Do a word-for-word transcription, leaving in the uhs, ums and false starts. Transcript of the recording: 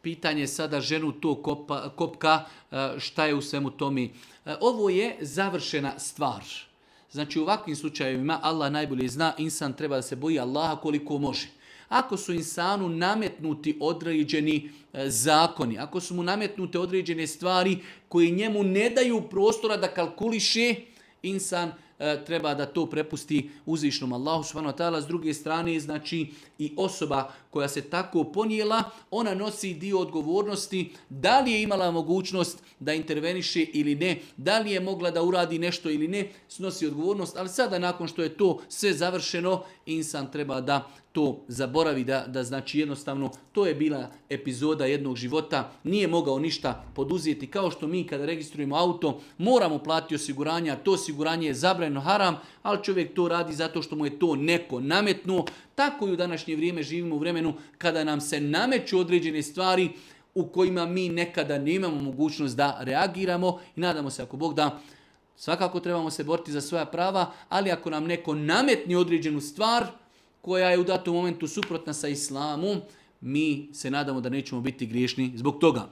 pitanje sada ženu to kopa, kopka, šta je u svemu tome. Ovo je završena stvar. Znači u ovakvim slučajevima Allah najbolje zna, insan treba da se boji Allaha koliko može. Ako su insanu nametnuti određeni zakoni, ako su mu nametnute određene stvari koje njemu ne daju prostora da kalkuliše, insan treba da to prepusti uzvišnom Allahu subhanahu wa ta'ala. S druge strane, znači i osoba koja se tako ponijela, ona nosi dio odgovornosti da li je imala mogućnost da interveniše ili ne, da li je mogla da uradi nešto ili ne, snosi odgovornost, ali sada nakon što je to sve završeno, insan treba da to zaboravi, da, da znači jednostavno to je bila epizoda jednog života, nije mogao ništa poduzeti, kao što mi kada registrujemo auto moramo platiti osiguranje, a to osiguranje je zabranjeno, haram, ali čovjek to radi zato što mu je to neko nametnuo. Tako i u današnje vrijeme živimo u vremenu kada nam se nameću određene stvari u kojima mi nekada nemamo mogućnost da reagiramo i nadamo se ako Bog da, svakako trebamo se boriti za svoja prava, ali ako nam neko nametni određenu stvar koja je u datom momentu suprotna sa islamom, mi se nadamo da nećemo biti griješni zbog toga.